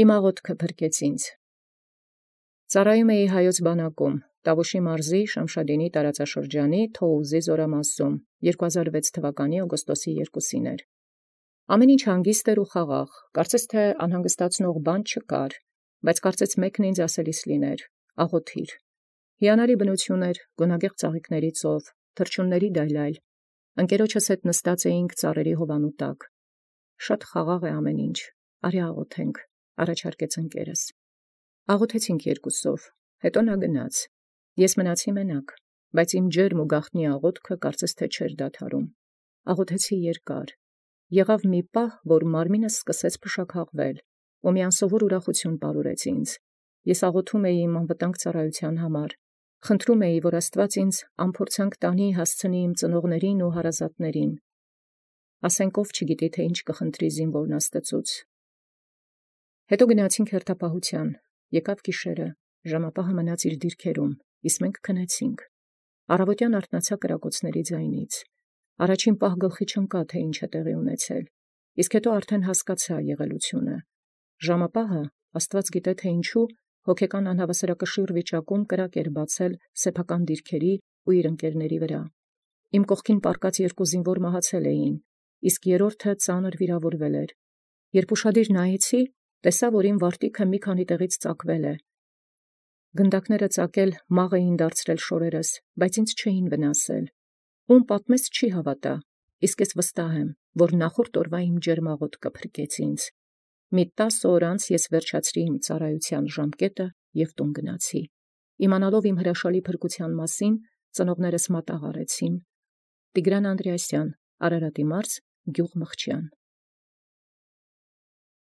Իմ աղոթքը փրկեց ինձ։ Ծառայում էի Հայոց բանակում, Տավուշի մարզի Շամշադինի տարածաշրջանի Թոուզի զորամասում 2006 թվականի օգոստոսի 2-ին էր։ Ամեն ինչ հանգիստ էր ու խաղաղ, կարծես թե անհանգստացնող բան չկար, բայց կարծես մեկն ինձ ասելիս լիներ. աղոթիր։ Հիանալի բնություն էր, գունագեղ ծաղիկների ծով, թռչունների դայլայլ, ընկերոջս հետ նստած էինք ծառերի հովանու տակ։ Շատ խաղաղ է ամեն ինչ, արի աղոթենք, առաջարկեց ընկերս։ Աղոթեցինք երկուսով, հետո նա գնաց։ Ես մնացի մենակ, բայց իմ ջերմ ու գաղտնի աղոթքը կարծես թե չէր դադարում։ Աղոթեցի երկար։ Եղավ մի պահ, որ մարմինս սկսեց փշաքաղվել, ու մի անսովոր ուրախություն պարուրեց ինձ։ Ես աղոթում էի իմ անվտանգ ծառայության համար, խնդրում էի, որ Աստված ինձ անփորձանք տանի հասցնի իմ ծնողներին ու հարազատներին։ Ասենք ով չգիտի, թե ինչ կխնդրի զինվորն Աստծուց։ Հետո գնացինք հերթապահության, եկավ գիշերը, ժամապահը մնաց իր դիրքերում, իսկ մենք քնեցինք։ Առավոտյան արթնացա կրակոցների ձայնից։ Առաջին պահ գլխի չընկա, թե ինչ է տեղի ունեցել, իսկ հետո արդեն հասկացա եղելությունը։ Ժամապահը, Աստված գիտե թե ինչու, հոգեկան անհավասարակշիռ վիճակում կրակ էր բացել սեփական դիրքերի ու իր ընկերների վրա։ Իմ կողքին պառկած երկու զինվոր մահացել էին, իսկ երրորդը ծանր վիրավորվել էր։ Երբ ուշադիր նայեցի, տեսա, որ իմ վարտիքը մի քանի տեղից ծակվել է։ Գնդակները ծակել մաղ էին դարձրել շորերս, բայց ինձ չէին վնասել։ Ում պատմես չի հավատա, իսկ ես վստահ եմ, որ նախորդ օրվա իմ ջերմ աղոթքը փրկեց ինձ։ Մի 10 օր անց ես վերջացրի իմ ծառայության ժամկետը և տուն գնացի։ Իմանալով իմ հրաշալի փրկության մասին, ծնողներս մատաղ արեցին։ Տիգրան Անդրեասյան, Արարատի մարզ, գյուղ Մխիճյան։